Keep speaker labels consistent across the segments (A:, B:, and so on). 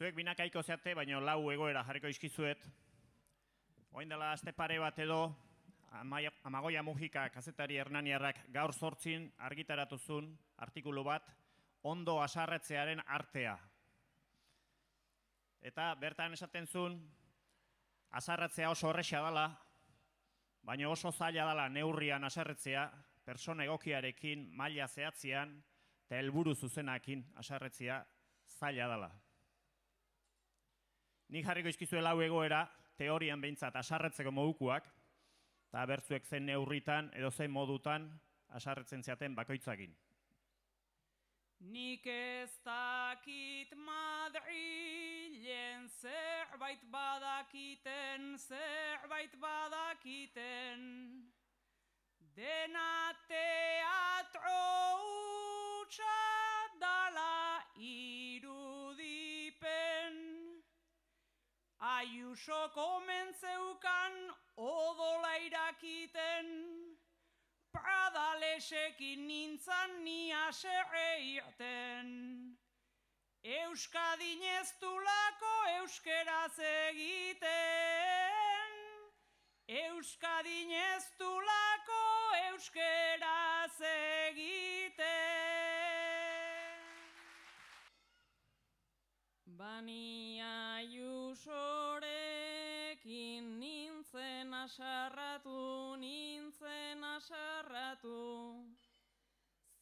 A: Zuek binakaiko zeate, baina lau egoera jarriko izkizuet. Oin dela aste pare bat edo, Amagoia Mujika kazetari hernaniarrak gaur 8 argitaratu zuen artikulu bat, ondo haserretzearen artea. Eta bertan esaten zuen, haserretzea oso horrexea dela, baina oso zaila dela neurrian haserretzea, persona egokiarekin, maila zehatzean, eta helburu zuzenakin haserretzea zaila dela. Nik jarriko izkizue lau egoera, teorian behintzat haserretzeko modukoak, eta bertzuek zen neurritan edo zen modutan haserretzen zeaten bakoitzakin.
B: Nik ez dakit Madrilen zerbait badakiten, dena teatro hutsa dala irudipen. Ayuso komentzeukan odola irakiten, Pradalesekin nintzan ni haserre irten. Euskadin ez dulako euskeraz egiten, Euskadin ez dulako euskeraz egiten. Bani Ayusorekin nintzen asarratu,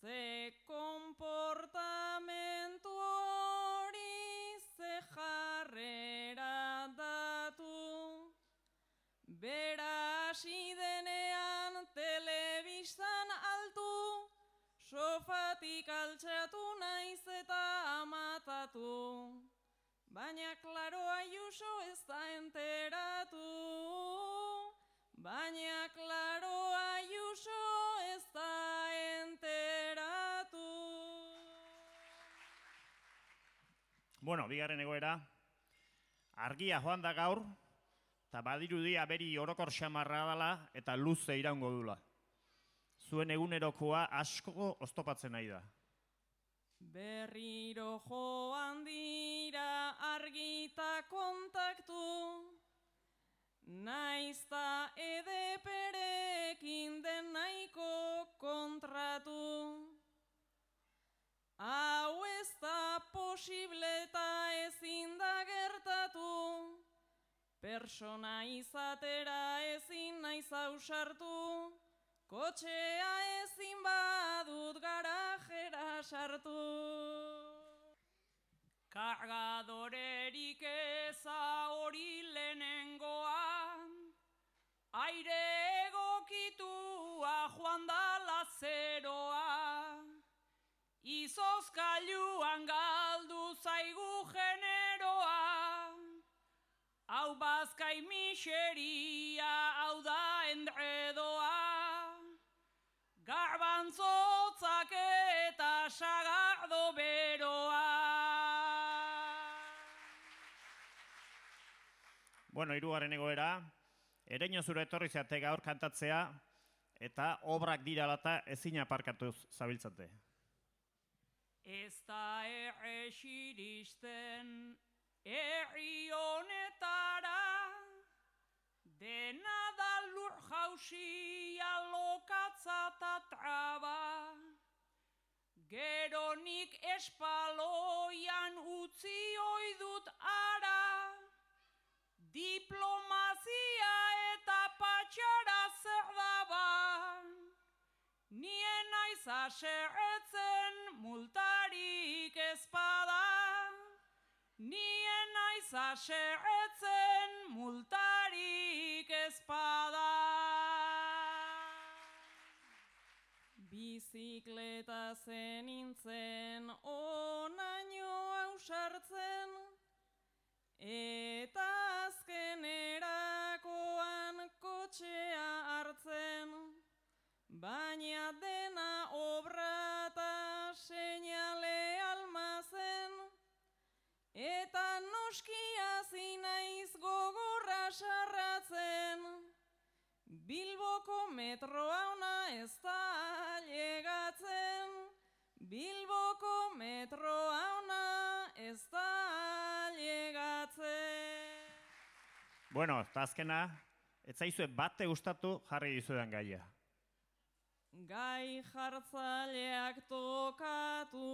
B: ze konportamentu hori, ze jarrera datu. Bera hasi denean telebistan altu, sofatik altxatu naiz eta amatatu. Baina klaro Ayuso ez da enteratu, baina klaro Ayuso ez da enteratu.
A: Bueno, bigarren egoera, argia joan da gaur, eta badirudia beri orokor xamarra dela eta luze iraungo dula. Zuen egunerokoa asko oztopatzen nahi da.
B: Berriro joan dira argita kontaktu, naizta EDPrekin den nahiko kontratu. Hau ez da posible eta ezin da gertatu, persona izatera ezin naiz ausartu, kotxea ezin badut garajera sartu. Kargadorerik eza hori lehenengoa, aire egokitua joan dala zeroa, izozkailuan galdu zaigu generoa, hau bazkai miseria, hau da endredoa, garbantzotzak eta sagardo beroa.
A: Bueno, hirugarren egoera, Ereño zure etorri zeate gaur kantatzea, eta obrak diralata ezin aparkatuz zabiltzate.
B: Ez da iristen herri honetara, dena da lur jausia, lokatza eta traba. Gero nik espaloian utzi oidut ara, diplomazia eta patxara zer daba. Nien naiz haserretzen multarik ezpada, nien naiz haserretzen multarik ezpada. Bizikleta zenintzen onaino ausartzen, eta azkenerakoan kotxea hartzen, baina dena obra eta seinale almazen, eta noskia zinaiz gogorra sarratzen. Bilboko metroa ona ez da llegatzen, Bilboko metroa ona ez da llegatzen.
A: Bueno, eta azkena, ez zaizue bate gustatu jarri dizudan gaia.
B: Gai jartzaileak tokatu,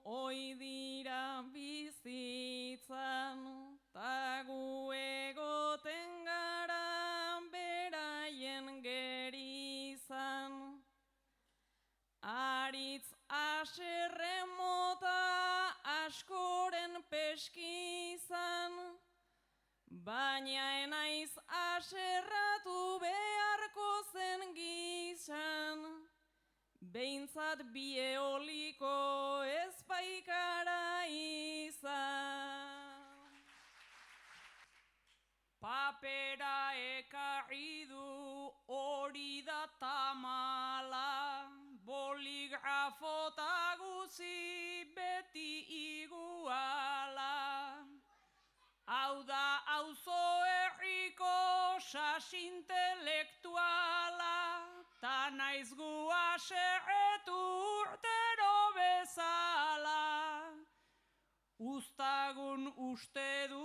B: oi dira bizitzan, ta gu egoten gara beraien gerizan. Aritz aserren mota askoren peskizan, baina enaiz aserratu beharko zen gizan, behintzat bi eoliko ezpaikara izan. Papera ekarri du hori da tamala, boligrafota guzi beti iguala. Hau da auzo herriko sas intelektuala, ta naiz gu haserretu urtero bezala. Uztagun uste du